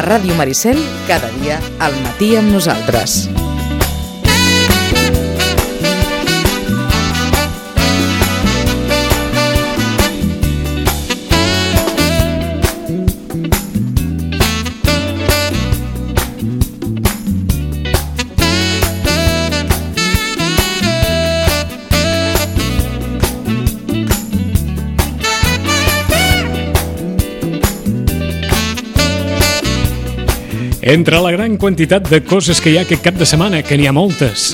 A Ràdio Maricel, cada dia al matí amb nosaltres. Entre la gran quantitat de coses que hi ha aquest cap de setmana, que n'hi ha moltes,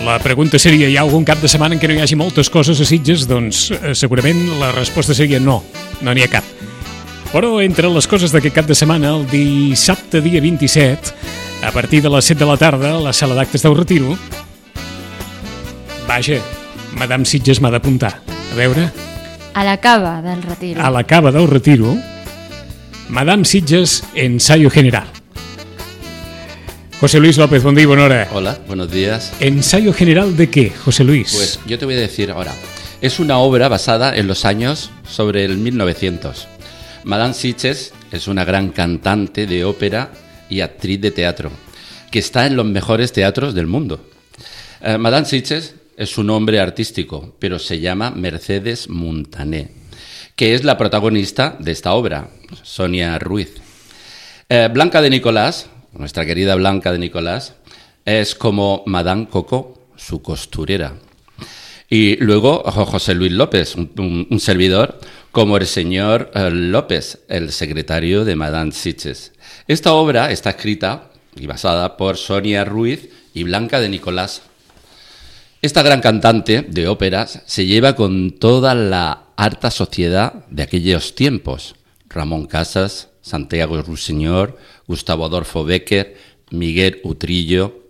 la pregunta seria, hi ha algun cap de setmana en què no hi hagi moltes coses a Sitges? Doncs segurament la resposta seria no n'hi ha cap. Però entre les coses d'aquest cap de setmana, el dissabte dia 27, a partir de les 7 de la tarda, a la sala d'actes del Retiro, vaja, Madame Sitges m'ha d'apuntar. A veure... A la cava del Retiro. A la cava del Retiro, Madame Sitges, ensayo general. José Luis López, buen día y buena hora. Hola, buenos días. ¿Ensayo general de qué, José Luis? Pues yo te voy a decir ahora. Es una obra basada en los años sobre el 1900. Madame Sitges es una gran cantante de ópera y actriz de teatro, que está en los mejores teatros del mundo. Madame Sitges es un nombre artístico, pero se llama Mercedes Montané, que es la protagonista de esta obra, Sonia Ruiz. Blanca de Nicolás, nuestra querida Blanca de Nicolás, es como Madame Coco, su costurera. Y luego José Luis López, un servidor, como el señor López, el secretario de Madame Sitges. Esta obra está escrita y basada por Sonia Ruiz y Blanca de Nicolás. Esta gran cantante de óperas se lleva con toda la alta sociedad de aquellos tiempos. Ramón Casas, Santiago Rusiñol, Gustavo Adolfo Bécquer, Miguel Utrillo.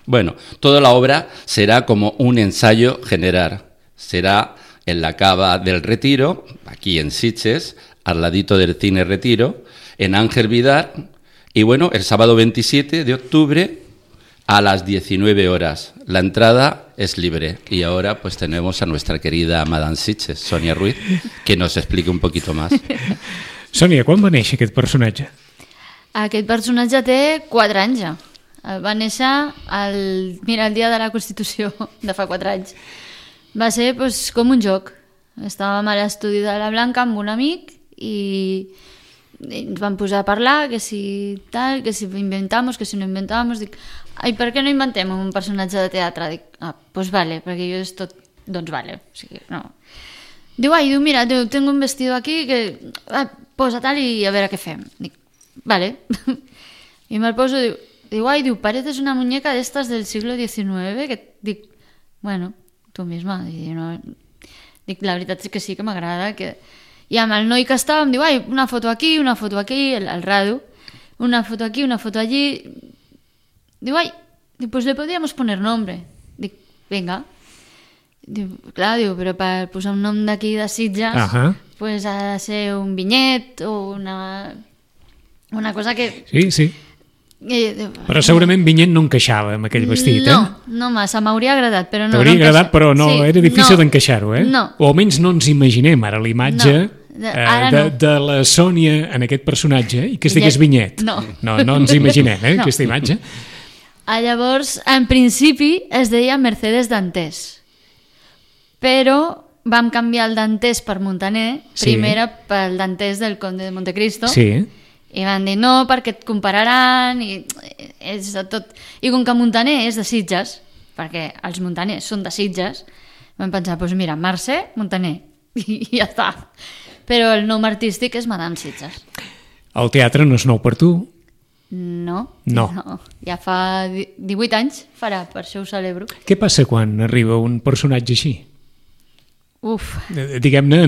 Bueno, toda la obra será como un ensayo general. Será en la cava del Retiro, aquí en Sitges, al ladito del Cine Retiro, en Ángel Vidal. Y bueno, el sábado 27 de octubre a las 19 horas. La entrada es libre. Y ahora pues tenemos a nuestra querida Madame Sitges, Sonia Ruiz, que nos explique un poquito más. Sònia, quan va néixer aquest personatge? Aquest personatge té 4 anys ja. Va néixer el dia de la Constitució de fa 4 anys. Va ser com un joc. Estàvem a l'estudi de la Blanca amb un amic i ens vam posar a parlar que si tal, que si inventamos, que si no inventamos. Dic, ai, per què no inventem un personatge de teatre? Dic, doncs vale, perquè jo és tot, doncs vale. O sigui, no. Diu, mira, tengo un vestido aquí que posa tal i a veure què fem. Dic, vale. I me'l poso, diu, pareces una muñeca d'estas del siglo XIX, que dic, bueno, tu misma. Dic, la veritat és que sí que m'agrada. I amb el noi que estàvem, diu, una foto aquí, el rado, una foto aquí, una foto allí. Diu, pues le podríamos poner nombre. Dic, venga. Diu, clar, però per posar un nom d'aquí de Sitges pues ha de ser un vinyet o una cosa que... Sí. Però segurament vinyet no encaixava amb aquell vestit, No massa, m'hauria agradat, però no. T'hauria agradat, però no, era difícil d'encaixar-ho, No. O almenys no ens imaginem ara l'imatge de la Sònia en aquest personatge i que es digués vinyet. No ens imaginem, aquesta imatge. Llavors, en principi es deia Mercedes Dantés, però vam canviar el Dantés per Montaner, primera pel Dantés del Conde de Montecristo, i van dir no, perquè et compararan, i és de tot. I com que Montaner és de Sitges, perquè els montaners són de Sitges, vam pensar, doncs mira, Mercè, Montaner, i ja està. Però el nom artístic és Madame Sitges. El teatre no és nou per tu? No. Ja fa 18 anys farà, per això ho celebro. Què passa quan arriba un personatge així? Diguem-ne,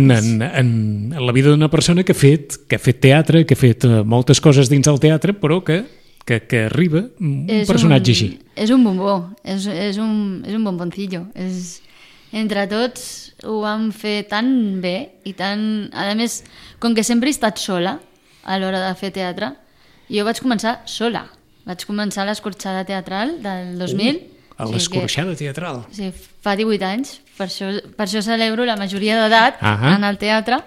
en la vida d'una persona que ha fet teatre, que ha fet moltes coses dins del teatre, però que arriba un personatge així. És un bombó, és un bomboncillo. Entre tots ho vam fer tan bé i tan... A més, com que sempre he estat sola a l'hora de fer teatre, jo vaig començar sola. Vaig començar l'escorxada teatral del 2000. A l'escorxada teatral? Sí, fa 18 anys. Per això celebro la majoria d'edat en el teatre.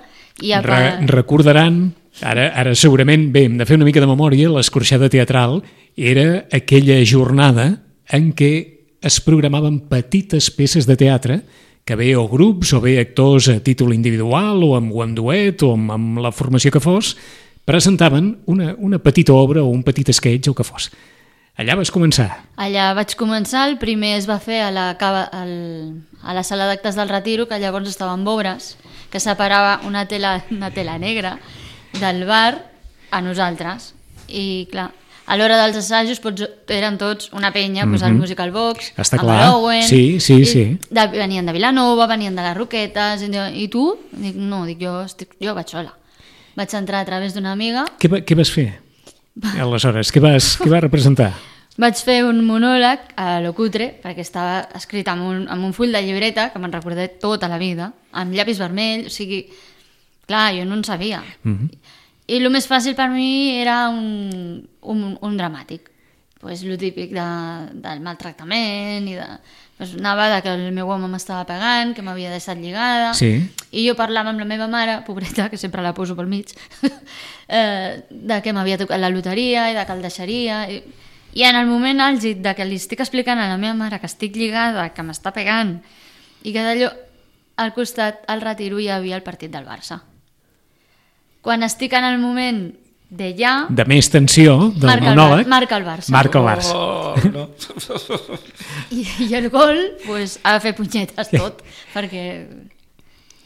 Recordaran Ara segurament, bé, hem de fer una mica de memòria, l'escorxada teatral era aquella jornada en què es programaven petites peces de teatre que bé o grups o bé actors a títol individual o amb duet o amb la formació que fos, presentaven una petita obra o un petit sketch o que fos. Allà vas començar. Allà vaig començar, el primer es va fer a la sala d'actes del Retiro, que llavors estava en obres, que separava una tela negra del bar a nosaltres. I clar, a l'hora dels assajos eren tots una penya, el Musical Box, està amb clar. l'Owen, sí. Venien de Vilanova, venien de les Roquetes, i tu? Dic, no, jo vaig sola. Vaig entrar a través d'una amiga. Què vas fer? Aleshores, què vas representar? Vaig fer un monòleg a lo cutre, perquè estava escrit amb un full de llibreta, que me'n recordé tota la vida, amb llapis vermell, o sigui, clar, jo no en sabia. I el més fàcil per mi era un dramàtic. Pues lo típic del maltractament i anava que el meu home m'estava pegant, que m'havia deixat lligada, i jo parlava amb la meva mare, pobreta, que sempre la poso pel mig, de que m'havia tocat la loteria i de que el deixaria, i en el moment àlgid de que li estic explicant a la meva mare que estic lligada, que m'està pegant, i que d'allò al costat, al Retiro, hi havia el partit del Barça. Quan estic en el moment de més tensió del monòleg, marca el Barça. No. I el gol ha de fer punyetes tot, perquè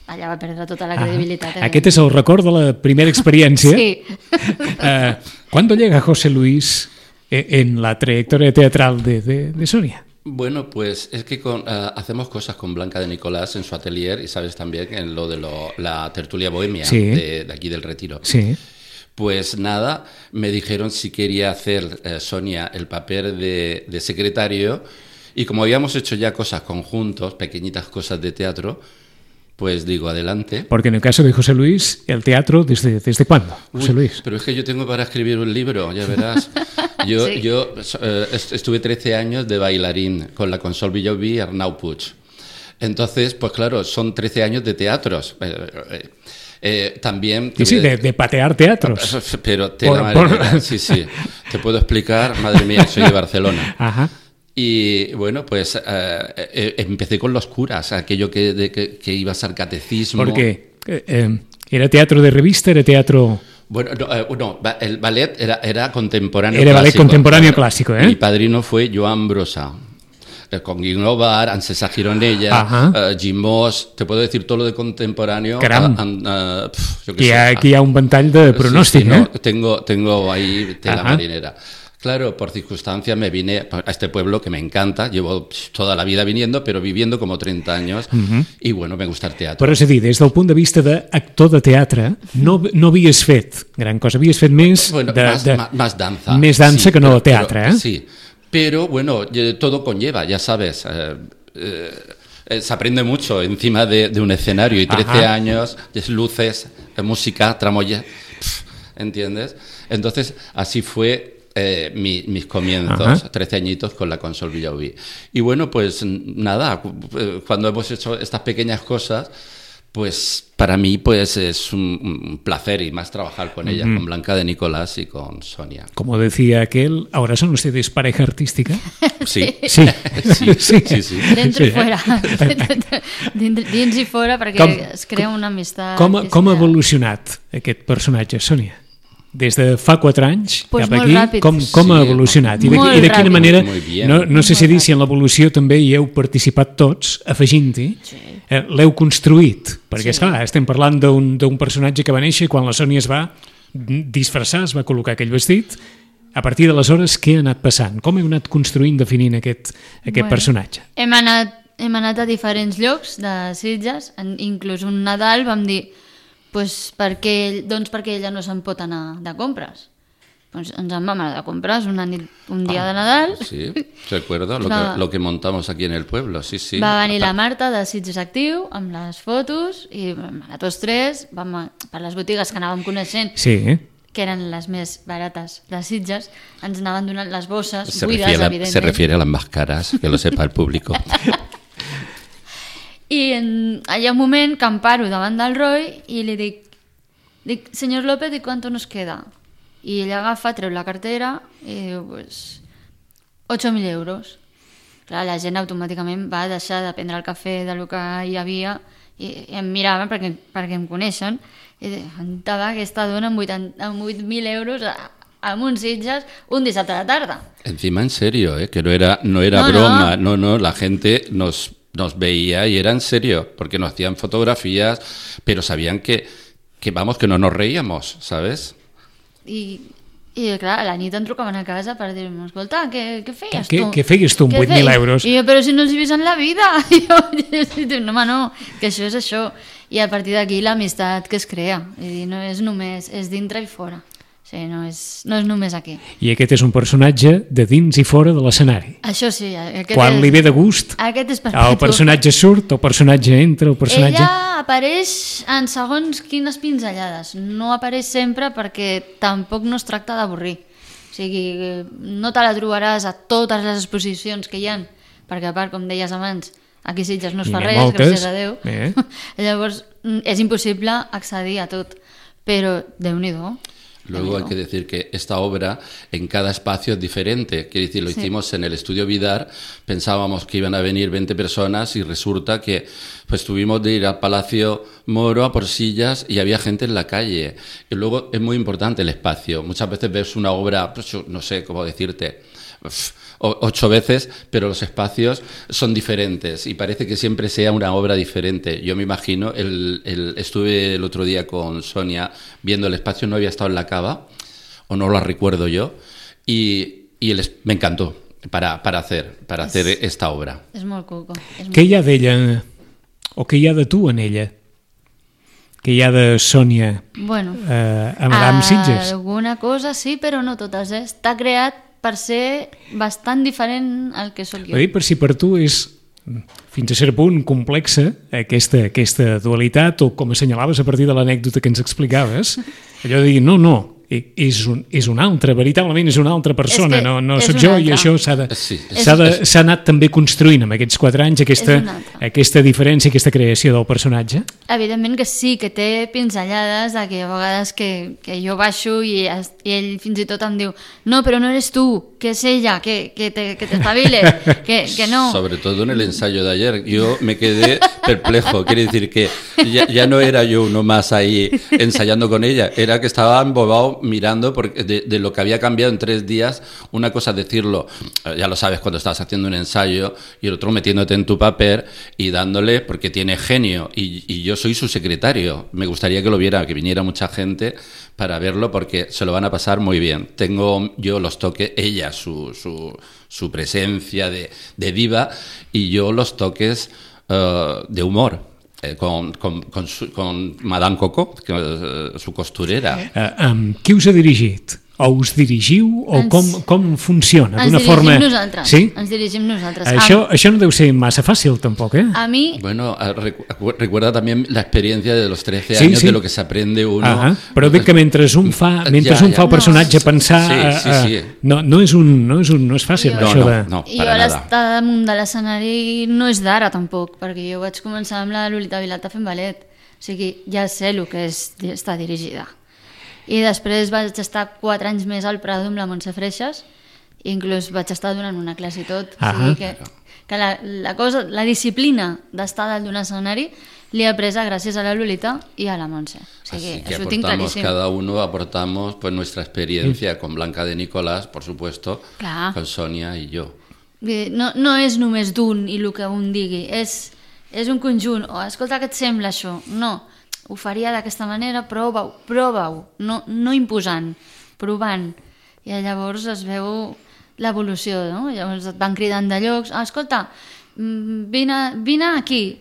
allà va perdre tota la credibilitat. Aquest és el record de la primera experiència. Sí. ¿Cuándo llega José Luis en la trayectoria teatral de Sonia? Bueno, pues es que hacemos cosas con Blanca de Nicolás en su atelier y sabes también en lo de la tertulia bohemia de aquí del Retiro. Sí. Pues nada, me dijeron si quería hacer Sonia el papel de secretario y como habíamos hecho ya cosas conjuntos, pequeñitas cosas de teatro, pues digo, adelante. Porque en el caso de José Luis, ¿el teatro desde cuándo, José Luis? Pero es que yo tengo para escribir un libro, ya verás. Yo estuve 13 años de bailarín con la Consol Villalbí y Arnau Puig. Entonces, pues claro, son 13 años de teatros. También... Sí, de patear teatros. Pero sí. Te puedo explicar, madre mía, soy de Barcelona. Ajá. Y bueno, pues empecé con los curas, aquello que ibas al catecismo. ¿Por qué? ¿Era teatro de revista? ¿Era teatro...? Bueno, no, el ballet era contemporáneo clásico. Era ballet contemporáneo clásico, ¿eh? Mi padrino fue Joan Brossa. Con Guignovar, Ancesa Gironella, Jim Moss, te puedo decir todo lo de contemporáneo. Aquí hay un ventall de pronòstic, Tengo ahí tela marinera. Claro, por circunstancias me vine a este pueblo que me encanta, llevo toda la vida viniendo, pero viviendo como 30 anys, i bueno, me gusta el teatre. Però és a dir, des del punt de vista d'actor de teatre, no havies fet gran cosa, havies fet més... Bueno, más danza. Més dansa que no teatre, ¿eh? Sí, pero bueno, todo conlleva, ya sabes... se aprende mucho encima de un escenario y 13 años, luces, música, tramoya, ¿entiendes? Entonces, así fue... mis comienzos, 13 añitos con la Consol Villalbí. Y bueno, pues nada, cuando hemos hecho estas pequeñas cosas, pues para mí pues es un placer y más trabajar con ellas, con Blanca de Nicolás y con Sonia. Como decía aquel, ¿ahora son ustedes pareja artística? Sí. Sí. Dentro i fora. Dins i fora, perquè es crea una amistat. Com ha evolucionat aquest personatge, Sonia? Des de fa 4 anys cap aquí, com ha evolucionat? I de quina manera, no sé si en l'evolució també hi heu participat tots, afegint-hi, l'heu construït, perquè esclar, estem parlant d'un personatge que va néixer quan la Sònia es va disfressar, es va col·locar aquell vestit. A partir d'aleshores, què ha anat passant? Com heu anat construint, definint aquest personatge? Hem anat a diferents llocs de Sitges, inclús un Nadal vam dir perquè ella no se'n pot anar de compres. Ens en vam anar de compres un dia de Nadal. Sí, recuerdo lo que montamos aquí en el pueblo, sí. Va venir la Marta de Sitges Actiu amb les fotos i a tots tres per les botigues que anàvem coneixent, que eren les més barates de Sitges, ens anaven donant les bosses buides, evidentment. Se refiere a las más caras, que lo sepa el público. I hi ha un moment que em paro davant del Roy i li dic, Dic, senyor López, ¿y cuánto nos queda? I ell agafa, treu la cartera i diu, pues, 8.000 euros. Clar, la gent automàticament va deixar de prendre el cafè del que hi havia i em miraven perquè em coneixen i deien, aquesta dona amb 8.000 euros amb uns Sitges un dissabte a la tarda. Encima en serio, que no era broma, no, la gente nos veía y era en serio, porque nos hacían fotografías, pero sabían que vamos, que no nos reíamos, ¿sabes? I clar, a la nit em trucaven a casa per dir-me, escolta, què feies tu? Què feies tu amb 8.000 euros? I jo, però si no els he vist en la vida. I jo, no, home, no, que això és això. I a partir d'aquí l'amistat que es crea. I no és només, és dintre i fora. O sigui, no és només aquí. I aquest és un personatge de dins i fora de l'escenari. Això sí. Quan li ve de gust, aquest és perpetu. el personatge surt, el personatge entra, el personatge... Ella apareix en segons quines pinzellades. No apareix sempre perquè tampoc no es tracta d'avorrir. O sigui, no te la trobaràs a totes les exposicions que hi ha, perquè a part, com deies abans, aquí Sitges no es fa res, gràcies a Déu. Llavors, és impossible accedir a tot. Però, Déu-n'hi-do. Luego hay que decir que esta obra en cada espacio es diferente. Quiere decir, lo hicimos en el estudio Vidar, pensábamos que iban a venir 20 personas y resulta que pues tuvimos de ir al Palacio Moro a por sillas y había gente en la calle. Y luego es muy importante el espacio. Muchas veces ves una obra, pues, no sé cómo decirte, 8 veces, pero los espacios son diferentes y parece que siempre sea una obra diferente. Yo me imagino, estuve el otro día con Sonia viendo el espacio, no había estado en la Cava, o no lo recuerdo yo, y me encantó para hacer esta obra. És molt cuco. Què hi ha d'ella, o què hi ha de tu en ella? Què hi ha de Sònia a Madame Sitges? Alguna cosa sí, però no totes. Està creat per ser bastant diferent al que sóc jo. Per si per tu és, fins a cert punt, complexa aquesta dualitat, o com assenyalaves a partir de l'anècdota que ens explicaves, allò de dir, no, és un altre, veritablement és una altra persona, no soc jo, i això s'ha anat també construint amb aquests 4 anys, aquesta diferència, aquesta creació del personatge. Evidentment que sí, que té pinzellades de que a vegades que jo baixo i ell fins i tot em diu, no, però no eres tu, que és ella, que t'espaviles, que no. Sobre todo en el ensayo de ayer, yo me quedé perplejo, quiere decir que ya no era yo uno más ahí ensayando con ella, era que estaba embobado mirando porque de lo que había cambiado en 3 días. Una cosa es decirlo, ya lo sabes cuando estás haciendo un ensayo, y el otro metiéndote en tu papel y dándole, porque tiene genio, y yo soy su secretario. Me gustaría que lo viera, que viniera mucha gente para verlo, porque se lo van a pasar muy bien. Tengo yo los toques, ella su presencia de diva, y yo los toques de humor. Con Madame Coco, su costurera. Qui us ha dirigit? O us dirigiu? O com funciona? Ens dirigim nosaltres. Sí? Ens dirigim nosaltres. Això no deu ser massa fàcil, tampoc, eh? A mi... Bueno, recuerda también la experiencia de los 13 años, de lo que se aprende uno. Però dic que mentre un fa el personatge pensar... No és fàcil, això de... No, I jo l'estar damunt de l'escenari no és d'ara, tampoc, perquè jo vaig començar amb la Lolita Vilata fent ballet. O sigui, ja sé el que és estar dirigida. I després vaig estar 4 anys més al Prado amb la Montse Freixas, i inclús vaig estar donant una classe i tot. O sigui que la disciplina d'estar dalt d'un escenari l'he apresa gràcies a la Lolita i a la Montse. O sigui, así que això ho tinc claríssim. Cada uno aportamos pues nuestra experiencia con Blanca de Nicolás, por supuesto, con Sonia y yo. No és només d'un i el que un digui, és un conjunt. Escolta, què et sembla això? No, ho faria d'aquesta manera, prova-ho, no imposant, provant. I llavors es veu l'evolució, no? Llavors et van cridant de llocs, escolta, vine aquí.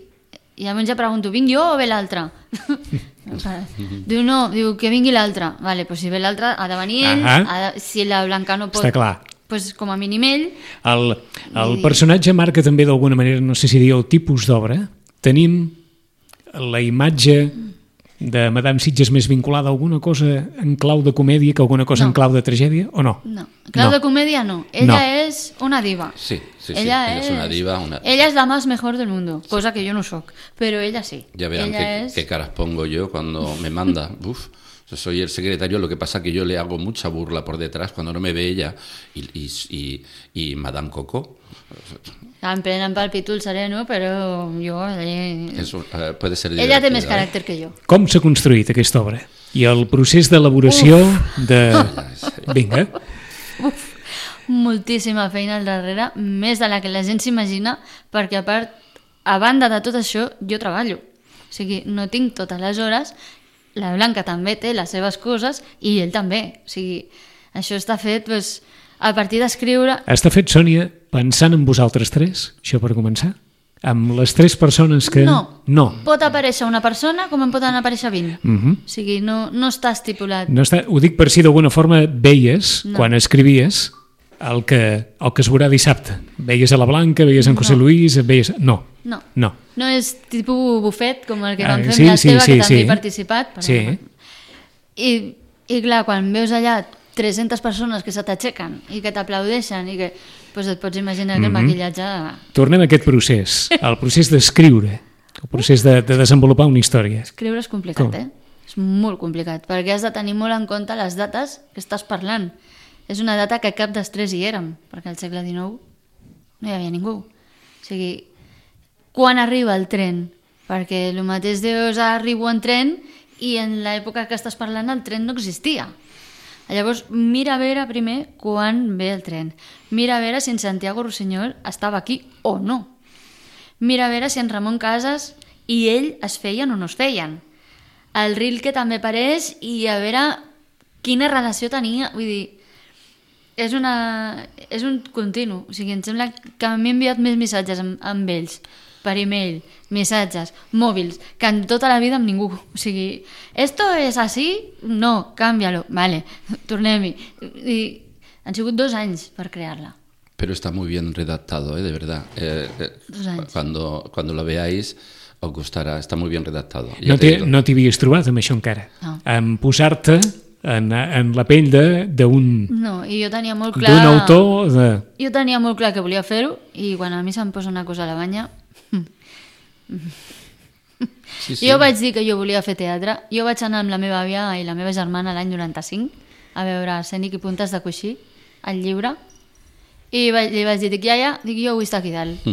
I llavors ja pregunto, vinc jo o ve l'altre? Diu que vingui l'altre. Vale, doncs si ve l'altre ha de venir ell, si la Blanca no pot... Està clar. Pues com a mínim ell... El personatge marca també d'alguna manera, no sé si dir el tipus d'obra. Tenim la imatge de Madame Sitges més vinculada a alguna cosa en clau de comèdia que alguna cosa en clau de tragèdia, o no? No, clau de comèdia no. Ella és una diva. Sí, ella és una diva. Ella és la más mejor del mundo, cosa que yo no soc, pero ella sí. Ya verán qué caras pongo yo cuando me manda. Uf. Yo soy el secretario, lo que pasa que yo le hago mucha burla por detrás cuando no me ve ella y Madame Coco. Em prenen pel pítol sereno, però jo... Puede ser Ella té més caràcter que jo. Com s'ha construït aquesta obra? I el procés d'elaboració de... Vinga. Moltíssima feina al darrere, més de la que la gent s'imagina, perquè a banda de tot això, jo treballo. O sigui, no tinc totes les hores, la Blanca també té les seves coses i ell també. O sigui, això està fet a partir d'escriure... Està fet, Sònia, pensant en vosaltres tres, això per començar? Amb les tres persones que... No. Pot aparèixer una persona com en poden aparèixer 20. O sigui, no està estipulat. No està, ho dic per si d'alguna forma veies, quan escrivies, el que es veurà dissabte. Veies a la Blanca, veies en José Luis, veies... No. No és tipus bufet, com el que vam fer amb la Esteve, que també he participat. Sí. I clar, quan veus allà 300 persones que se t'aixequen i que t'aplaudeixen i que et pots imaginar que el maquillatge... Tornem a aquest procés, el procés d'escriure, el procés de desenvolupar una història. Escriure és complicat, És molt complicat, perquè has de tenir molt en compte les dates que estàs parlant. És una data que cap dels tres hi érem, perquè al segle XIX no hi havia ningú. O sigui, quan arriba el tren? Perquè el mateix dius arribo en tren i en l'època que estàs parlant el tren no existia. Llavors, mira a veure primer quan ve el tren. Mira a veure si en Santiago Rossinyol estava aquí o no. Mira a veure si en Ramon Casas i ell es feien o no es feien. El Rilke també apareix i a veure quina relació tenia. Vull dir, és un continu. O sigui, em sembla que m'he enviat més missatges amb ells, per email, missatges, mòbils, que en tota la vida amb ningú. O sigui, ¿esto es así? No, cámbialo. Vale, tornem-hi. I han sigut 2 anys per crear-la. Pero está muy bien redactado, de verdad. 2 anys. Cuando lo veáis, os gustará. Está muy bien redactado. No t'hi havies trobat amb això encara? No. En posar-te en la pell d'un... No, i jo tenia molt clar... D'un autor de... Jo tenia molt clar que volia fer-ho i quan a mi se'm posa una cosa a la banya... Sí. Jo vaig dir que jo volia fer teatre. Jo vaig anar amb la meva àvia i la meva germana l'any 95 a veure Escènic i Puntes de Coixí, el llibre, i li vaig dir, iaia, jo vull estar aquí dalt.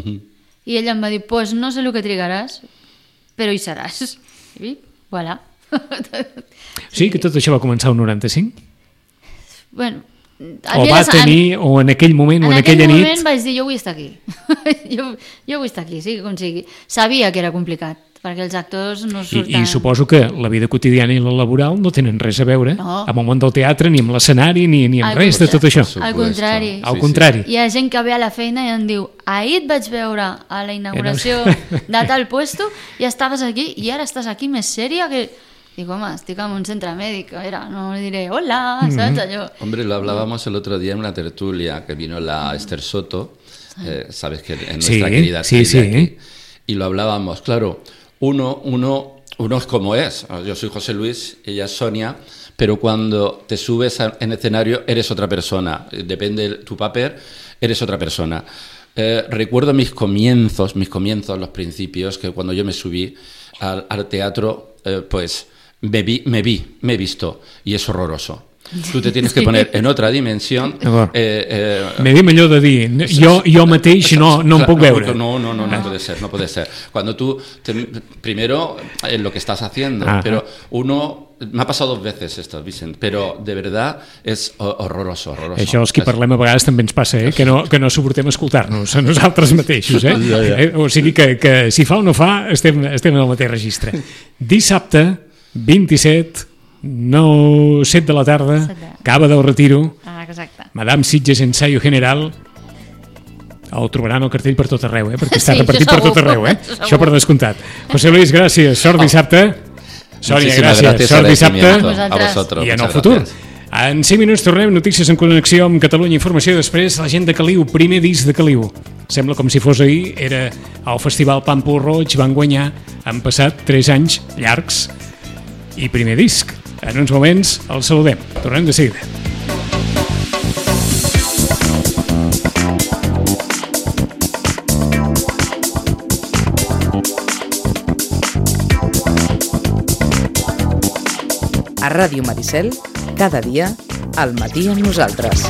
I ella em va dir, pues no sé el que trigaràs, però hi seràs. I voilà. Sí, que tot això va començar el 95? Bueno, o va tenir, o en aquell moment, o en aquella nit... En aquell moment vaig dir, jo vull estar aquí. jo vull estar aquí, sigui com sigui. Sabia que era complicat, perquè els actors no surten... I suposo que la vida quotidiana i la laboral no tenen res a veure amb el món del teatre, ni amb l'escenari, ni amb res de tot això. Al contrari. Al contrari. Hi ha gent que ve a la feina i em diu, ahir et vaig veure a la inauguració de tal puesto i estaves aquí i ara estàs aquí més sèria que... Digo, home, estic en un centre mèdic, a veure, no diré, hola, ¿sabes? Allò. Hombre, lo hablábamos el otro día en una tertulia que vino la Esther Soto, sabes que es nuestra querida actriz aquí, y lo hablábamos, claro, uno es como es, yo soy José Luis, ella es Sonia, pero cuando te subes en escenario eres otra persona, depende de tu papel, eres otra persona. Recuerdo mis comienzos, los principios, que cuando yo me subí al teatro, pues... Me he visto y es horroroso. Tu te tienes que poner en otra dimensión. M'hem allò de dir, jo mateix no em puc veure. No puede ser. Cuando tú, primero, en lo que estás haciendo, pero uno... Me ha pasado 2 veces esto, Vicent, però de verdad és horroroso. Això els que parlem a vegades també ens passa, que no suportem escoltar-nos a nosaltres mateixos. O sigui que si fa o no fa, estem en el mateix registre. Dissabte, 27, 7 de la tarda, Cava del Retiro, exacte. Madame Sitges Ensayo General. El trobaran al cartell per tot arreu, perquè està repartit per tot arreu. Això per descomptat. José Luis, gràcies. Sort dissabte. Sònia, gràcies. Sort dissabte. A vosotros. I en el futur. En 5 minuts tornem, notícies en connexió amb Catalunya Informació. Després, la gent de Caliu, primer disc de Caliu. Sembla com si fos ahir, era al Festival Pàmpol Roig, van guanyar, han passat 3 anys llargs i primer disc. En uns moments el saludem. Tornem de seguida. A Ràdio Maricel, cada dia, al matí amb nosaltres.